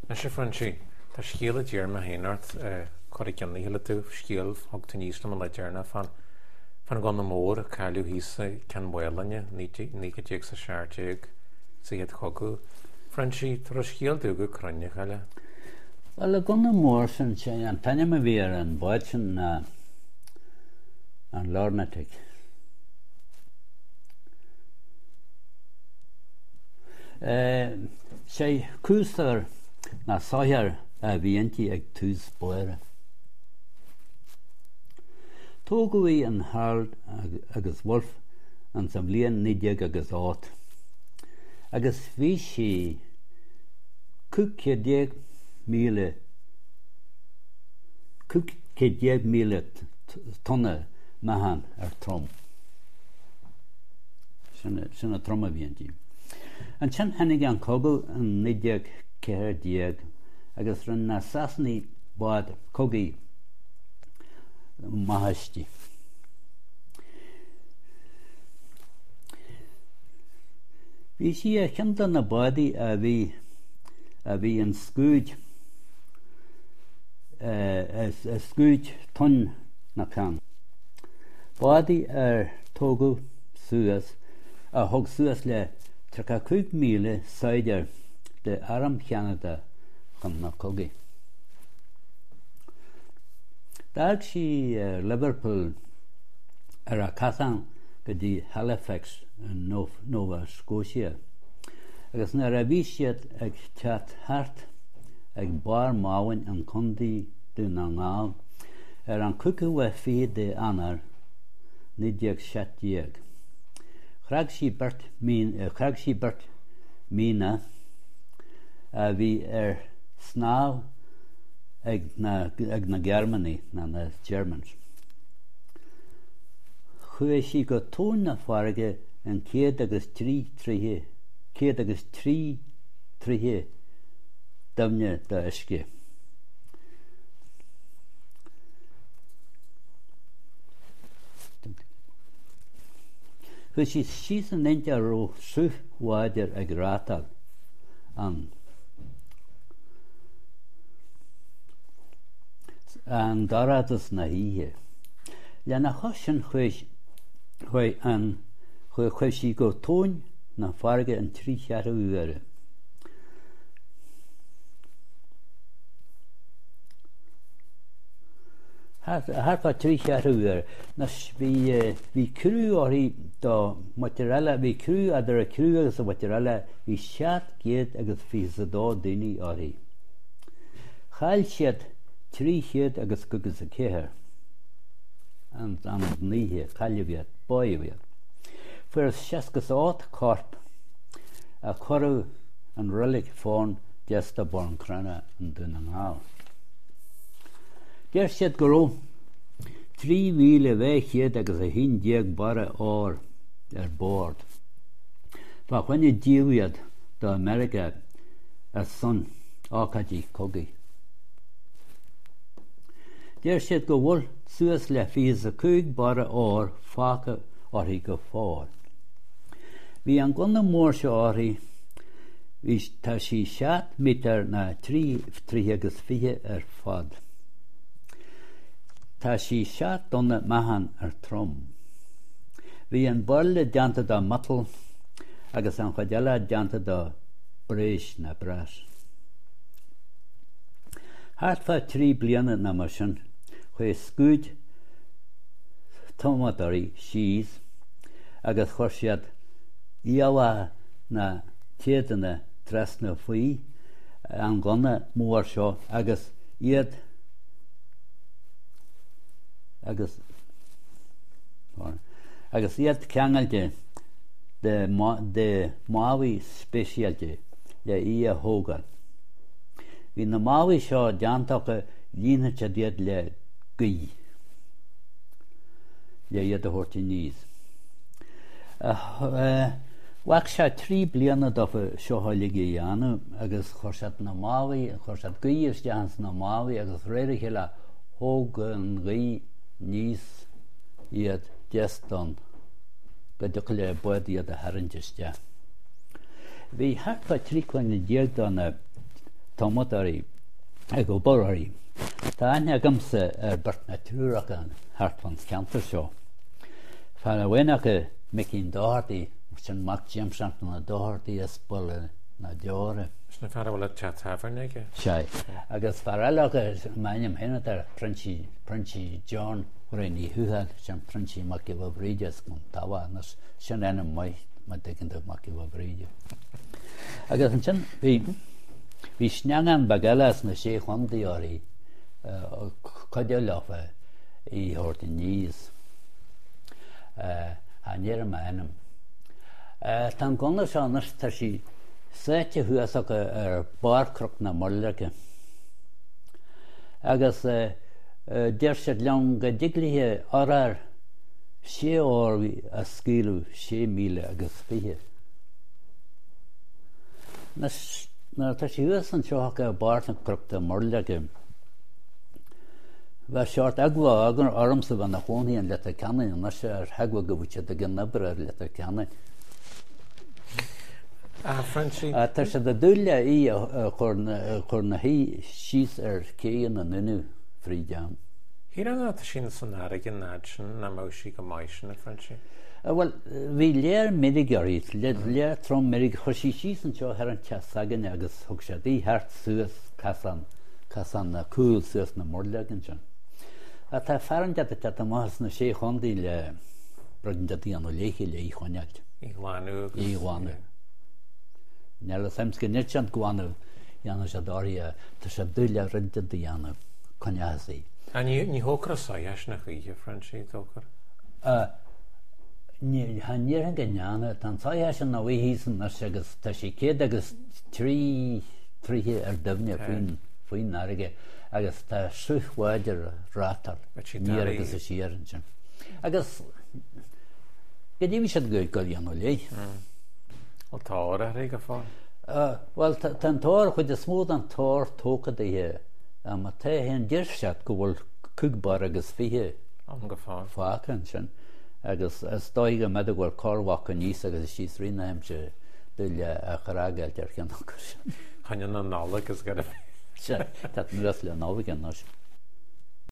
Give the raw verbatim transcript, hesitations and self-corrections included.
Anois a Phroinsí, tá scéal a d'iarr mé féin ort cur i gcionn a chéile tú, scéal a thug tú aníos liom an lá deireanach fán fán ghunna mór a cailleadh thíos i gCeann Mhaoláin, naoi déag is a seacht déag, sa Chéad Chogadh. Phroinsí, tabhair an scéal domh go cruinn, a chaile. Bhuel, an gunna mór sin, sé an t-ainm a bhí ar an bhád sin ná an Larnatic. Sé coaster ná soitheach a bhí inti ag tús báire. Tógadh í in Harland agus Wolff in sa bhliain naoi déag agus ocht agus bhí sí cúig chéad déag míle cúig chéad déag míle tonna meáchan ar trom. Sin an trom a bhí inti. Ansin tháinig an cogadh in naoi déag ceathair déag agus rinne na Sasanaigh bád cogaidh maith aisti. Bhí sí ar cheann de na bádaí a bhí a bhí in scuad i scuad Tonn na Cairn. Bádaí ar tógadh suas a thug suas le tríocha cúig míle saighdiúir de Arm Cheanada chun na cogaidh. D'fhág sí Liverpool ar a casán go dtí Halifax i Nova Scotia agus nuair a bhí siad ag teacht thart ag Barr Mabhainn in Contae Dún na nGall ar an cúigiú lá fichead de Eanáir naoi déag seacht déag. Chreag sí beirt chreag sí beirt míonna a bhí ar snámh ag na ag na Gearmánaigh, ná na Germans. Chuaigh sí go tóin na farraige in céad agus trí troighe céad agus trí troighe doimhne d'uisce. Chuaigh sí síos in áit a raibh sruth láidir ag reáchtáil ann. I ndorchadas na hoíche. Lena chois sin chuaigh chuaigh an chuaigh sí go tóin na farraige an trí cheathrú uaire. Thart fá trí cheathrú uaire. Anois bhí bhí criú uirthi do mhuintir eile, bhí criú eadar an criú agus an mhuintir eile, bhí seacht gcéad agus fiche is a dó daoine uirthi. Chaill siad trí chéad agus caoga is a ceathair an an oíche, cailleadh iad, báitheadh iad. Fuarthas seasca is a ocht corp a cuireadh in Reilig Phoirn deas de Buncrana i nDún na nGall. Deir siad go raibh trí mhíle dhá chéad agus a haon déag barra óir ar bord fá choinne díol iad do Mheiriceá ar son ócáidí cogaidh. Deir siad go bhfuil suas le fiche is a cúig barra óir fágtha uirthi go fóill. Bhí an gunna mór seo uirthi, bhí, tá sí seacht mítear ná trí troighe agus fiche ar fad. Tá sí seacht dtonna meáchan ar trom. Bhí an buirle déanta de mhiotal agus an chuid eile déanta de bréis ná brass. Thart fá trí bliana nó mar sin, chuaigh scuad tumadóirí síos agus chuir siad iallach na téadanna trasna faoi an ghunna mór seo agus iad agus agus iad ceangailte de de málaí speisialta le í a thógáil. Bhí na málaí seo déanta acu líonfadh siad iad le gaoth le iad a thabhairt aníos. Ghlac sé trí bliana dófa seo uilig a dhéanamh agus chuir siad na málaí, chuir siad gaoth isteach ins na málaí agus réir a chéile thóg an ghaoth aníos iad deas don go dtiocfadh le bád iad a tharraingt isteach. Bhí thart fá trí cloigne déag de na tumadóirí ag obair uirthi. Tá aithne agamsa ar beirt nó triúr acu thart fán cheantar seo. Fear amháin acu, Micín Doherty, sin mac James Anthony Doherty as Baile na Deora. Sin an fear a bhfuil an teach tábhairne aige? Sea. Agus fear eile acu, m'ainm féin atá air, Proinsias, Proinsias John Ray Uí Thuathail, sin Proinsias Mac Giolla Bhríde as Cluain Tarbh anois, sin ainm maith má dtuigeann tú, Mac Giolla Bhríde. Agus ansin bhí, bhí sneangán beag eile as na Sé Chontae uirthi, cuidiú leofa í a thabhairt aníos. Cha ndéarfaidh mé a ainm. Tá an gunna seo anois, tá sí sáite thuas acu ar barr Chnoc na Muirleirge. Agus deir siad liom go dtig léi urchar sé orlaí a scaoileadh sé míle agus fiche. Anois, nuair atá sí thuas anseo acu ar barr Chnoc na Muirleirge, Bheadh seort eagla ormsa bheith ina chónaí in Leitir Ceanainn anois ar eagla go bhfuil siad ag an obair ar Leitir Ceanainn. Ah, Frenchie. Tá siad ag dúil le í a chur ina shuí síos ar ché na nDúnaibh fríd am. Shílfeá nuair atá sí san fharraige an fhad sin nach mbeadh sí go maith sin, a Frenchie. Bhuel, bhí léar meirge uirthi, léar trom meirge. Chuir sí síos anseo thar an teach s'againne agus thug siad í thart suas casán. Casán na cúl suas na Muirleag ansin. Ach tá fear inteacht ag teacht amach as na Sé Chontae le rud inteacht a dhéanamh léithi le í choinneáilt. Í ghlanadh agus. Í ghlanadh. Níl fhios a'm go ndéarfaidh siad glanadh dhéanfaidh siad uirthi tá sé doiligh rud inteacht a dhéanamh coinneochas í. Ah ní ní thógfar an soitheach sin a choíche, Frenchie, dóchar. Ah ní cha ndéarfainn go ndéanfaidh. Tá an soitheach sin ina luí thíos anois agus tá sí céad agus trí troigh ar doimhne faoin faoin fharraige agus tá sruth láidir ag reáchtáil aniar agus siar ansin. Agus go dtí bhí siad ag dul a dhéanamh léi. Bhfuil tor uirthi go fóill? Bhuel, tá an tor, chuid is mó den tor tógtha dithe. Má tá féin, deir siad go bhfuil cúig barr agus fiche ann go fóill. fágtha ansin. Agus is dóigh go mb'fhéidir go bhfuil corrmhac aníos agus síos rith na haimsire dul a chrágáilt ar cheann acu sin. Choinne na Nollag is gairbh. Sea, tá anuas le Nollaig anois.